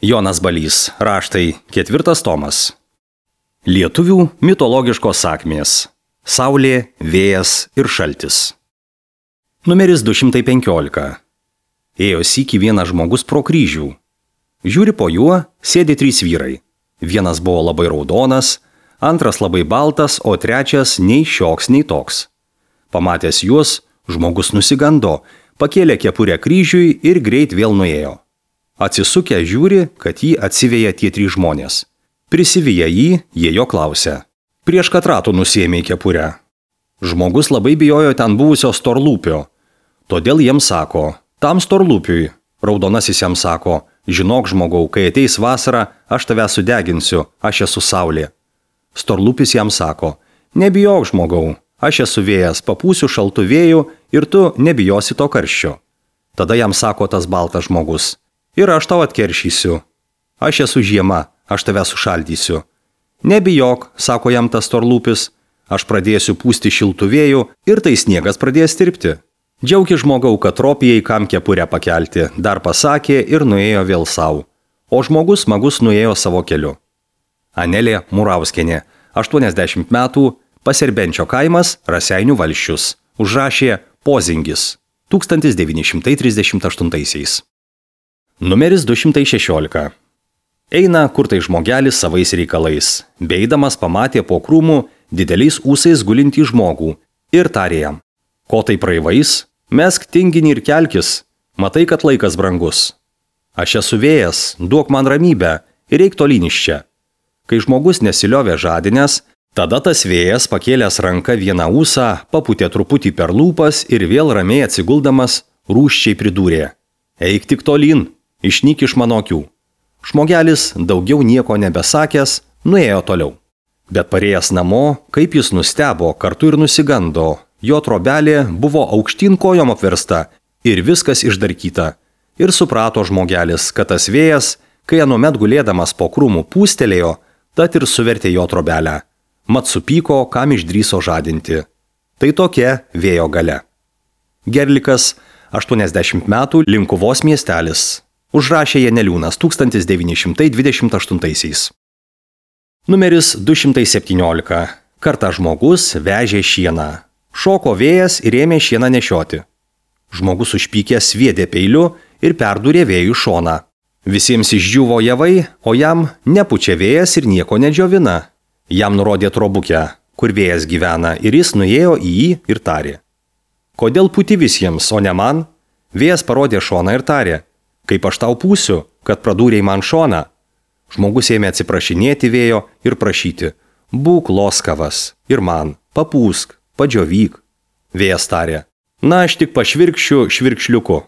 Jonas Balys, raštai, 4 tomas. Lietuvių mitologiškos sakmės. Saulė, vėjas ir šaltis. Numeris 215. Ėjo sykį vienas žmogus pro kryžių. Žiūri po juo, sėdi 3 vyrai. Vienas buvo labai raudonas, antras labai baltas, o trečias nei šioks, nei toks. Pamatęs juos, žmogus nusigando, pakėlė kepurę kryžiui ir greit vėl nuėjo. Atsisukę žiūri, kad jį atsiveja tie 3 žmonės. Prisiviję jį, jie jo klausia. Prieš ką ratų nusiėmė kepurę? Žmogus labai bijojo ten buvusio storlūpio. Todėl jiems sako, tam storlūpiui. Raudonasis jam sako, žinok žmogau, kai ateis vasara, aš tave sudeginsiu, aš esu saulė. Storlūpis jam sako, nebijok žmogau, aš esu vėjas, papūsiu šaltų vėjų ir tu nebijosi to karščio. Tada jam sako tas baltas žmogus, ir aš tau atkeršysiu. Aš esu žiema, aš tave sušaldysiu. Nebijok, sako jam tas storlūpis, aš pradėsiu pūsti šiltų vėjų ir tai sniegas pradės tirpti. Džiaugi žmogau, kad tropijai kam kepurę pakelti, dar pasakė ir nuėjo vėl savo. O žmogus smagus nuėjo savo keliu. Anelė Murauskienė, 80 metų, Paserbenčio kaimas, Raseinių valsčius. Užrašė Pozingis, 1938. Numeris 216. Eina kur tai žmogelis savais reikalais. Beidamas pamatė po krūmų dideliais ūsais gulintį žmogų ir tarė jam. Ko tai praivais? Mesk tinginį ir kelkis. Matai, kad laikas brangus. Aš esu vėjas, duok man ramybę ir eik tolyn iš čia. Kai žmogus nesiliovė žadinęs, tada tas vėjas pakėlęs ranką vieną ūsą, papūtė truputį per lūpas ir vėl ramiai atsiguldamas rūsčiai pridūrė. Eik tik tolyn. Išnyk iš mano akių. Žmogelis, daugiau nieko nebesakęs, nuėjo toliau. Bet parėjęs namo, kaip jis nustebo, kartu ir nusigando. Jo trobelė buvo aukštyn kojom apversta ir viskas išdarkyta. Ir suprato žmogelis, kad tas vėjas, kai anuomet gulėdamas po krūmų pūstelėjo, tad ir suvertė jo trobelę. Mat supyko, kam išdryso žadinti. Tai tokia vėjo galia. Gerlikas, 80 metų, Linkuvos miestelis. Užrašė Janeliūnas 1928. Numeris 217. Kartą žmogus vežė šieną. Šoko vėjas ir ėmė šieną nešioti. Žmogus užpykęs sviedė peiliu ir perdūrė vėjų šoną. Visiems išdžiuvo javai, o jam nepučia vėjas ir nieko nedžiovina. Jam nurodė trobukę, kur vėjas gyvena, ir jis nuėjo į jį ir tarė. Kodėl puti visiems, o ne man? Vėjas parodė šoną ir tarė. Kaip aš tau pūsiu, kad pradūrėjai man šoną? Žmogus ėmė atsiprašinėti vėjo ir prašyti. Būk loskavas ir man, papūsk, padžiovyk. Vėjas tarė. Na, aš tik pašvirkščiu švirkšliuku.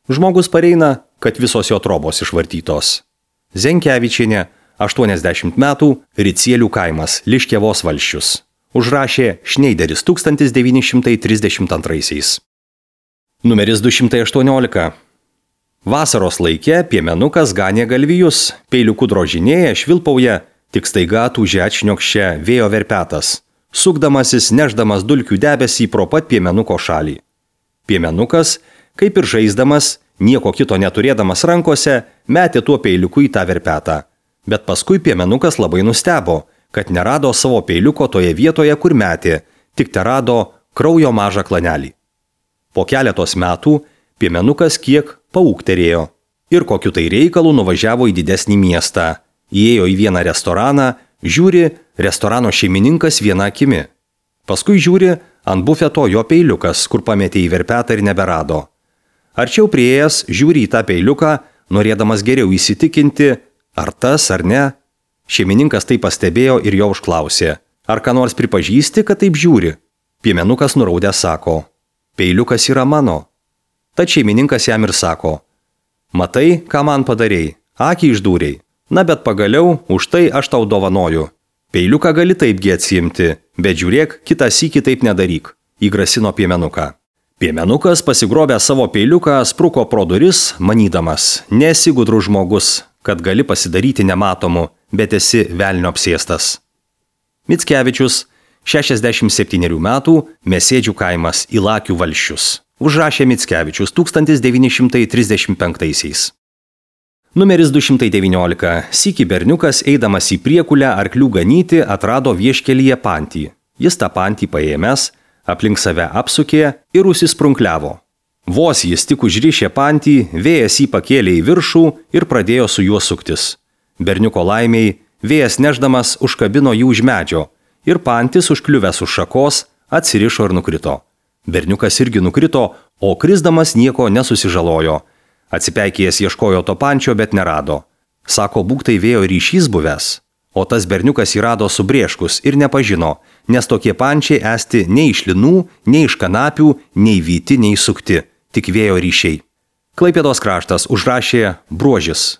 Žmogus pareina, kad visos jo trobos išvartytos. Zenkevičienė, 80 metų, Ricielių kaimas, Liškiavos valsčius. Užrašė Šneideris 1932. Numeris 218. Vasaros laike piemenukas ganė galvijus, peiliuku drožinėja, švilpauja, tik staiga tūžia atšniokščia vėjo verpetas, sukdamasis, neždamas dulkių debesį pro pat piemenuko šalį. Piemenukas, kaip ir žaisdamas, nieko kito neturėdamas rankose, metė tuo peiliuku į tą verpetą. Bet paskui piemenukas labai nustebo, kad nerado savo peiliuko toje vietoje, kur metė, tik terado kraujo mažą klanelį. Po keletos metų piemenukas kiek paūkterėjo ir kokiu tai reikalu nuvažiavo į didesnį miestą. Įėjo į vieną restoraną, žiūri, restorano šeimininkas viena akimi. Paskui žiūri, ant bufeto jo peiliukas, kur pametė į verpetą ir neberado. Arčiau priėjęs, žiūri į tą peiliuką, norėdamas geriau įsitikinti, ar tas ar ne. Šeimininkas tai pastebėjo ir jo užklausė. Ar ką nors pripažįsti, kad taip žiūri? Piemenukas nuraudęs sako. Peiliukas yra mano. Tad šeimininkas jam ir sako, matai, ką man padarei, akį išdūrei, na bet pagaliau už tai aš tau dovanoju. Peiliuką gali taipgi atsiimti, bet žiūrėk, kitą sykį taip nedaryk, įgrasino piemenuką. Piemenukas pasigrobęs savo peiliuką spruko pro duris, manydamas, nesi gudrus žmogus, kad gali pasidaryti nematomu, bet esi velnio apsėstas. Mickevičius, 67 metų, Mesėdžių kaimas, Ilakių valsčius. Užrašė Mickevičius 1935. Numeris 219. Sykį berniukas, eidamas į priekulę arklių ganyti, atrado vieškelyje pantį. Jis tą pantį paėmęs, aplink save apsukė ir užsisprunkliavo. Vos jis tik užrišė pantį, vėjas jį pakėlė į viršų ir pradėjo su juo suktis. Berniuko laimiai, vėjas neždamas užkabino jį už medžio ir pantis užkliuvęs už šakos atsirišo ir nukrito. Berniukas irgi nukrito, o krisdamas nieko nesusižalojo. Atsipeikėjęs ieškojo to pančio, bet nerado. Sako, būk tai vėjo ryšys buvęs. O tas berniukas jį rado subrėškus ir nepažino, nes tokie pančiai esti nei iš linų, nei iš kanapių, nei vyti, nei sukti, tik vėjo ryšiai. Klaipėdos kraštas užrašė Bruožis.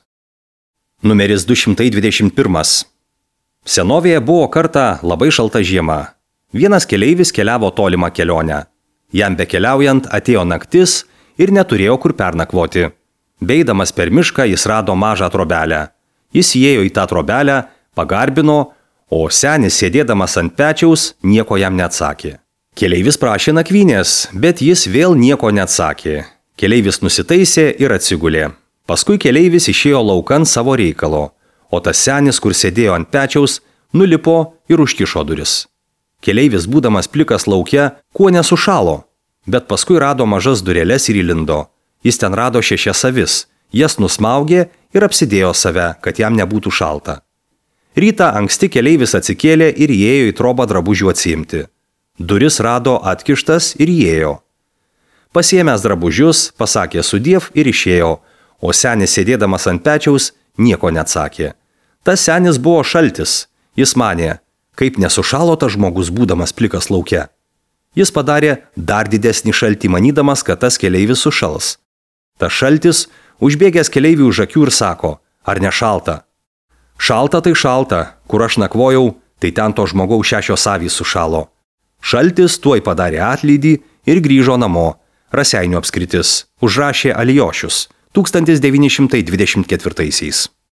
Numeris 221. Senovėje buvo kartą labai šalta žiema. Vienas keleivis keliavo tolimą kelionę. Jam bekeliaujant atėjo naktis ir neturėjo kur pernakvoti. Beidamas per mišką jis rado mažą trobelę. Jis įėjo į tą trobelę, pagarbino, o senis sėdėdamas ant pečiaus nieko jam neatsakė. Keleivis prašė nakvynės, bet jis vėl nieko neatsakė. Keleivis nusitaisė ir atsigulė. Paskui keleivis išėjo laukan savo reikalo, o tas senis, kur sėdėjo ant pečiaus, nulipo ir užkišo duris. Keleivis, būdamas plikas lauke, kuo nesušalo, bet paskui rado mažas dureles ir įlindo. Jis ten rado 6 avis, jas nusmaugė ir apsidėjo save, kad jam nebūtų šalta. Rytą anksti keleivis atsikėlė ir įėjo į trobą drabužių atsiimti. Duris rado atkištas ir įėjo. Pasiėmęs drabužius, pasakė sudiev ir išėjo, o senis sėdėdamas ant pečiaus nieko neatsakė. Tas senis buvo šaltis. Jis manė, kaip nesušalo tas žmogus būdamas plikas lauke. Jis padarė dar didesnį šaltį, manydamas, kad tas keleivis sušals. Tas šaltis užbėgęs keleiviui už akių ir sako, ar ne šalta? Šalta tai šalta, kur aš nakvojau, tai ten to žmogaus 6 avys sušalo. Šaltis tuoj padarė atlydį ir grįžo namo. Raseinių apskritis, užrašė Alijošius 1924.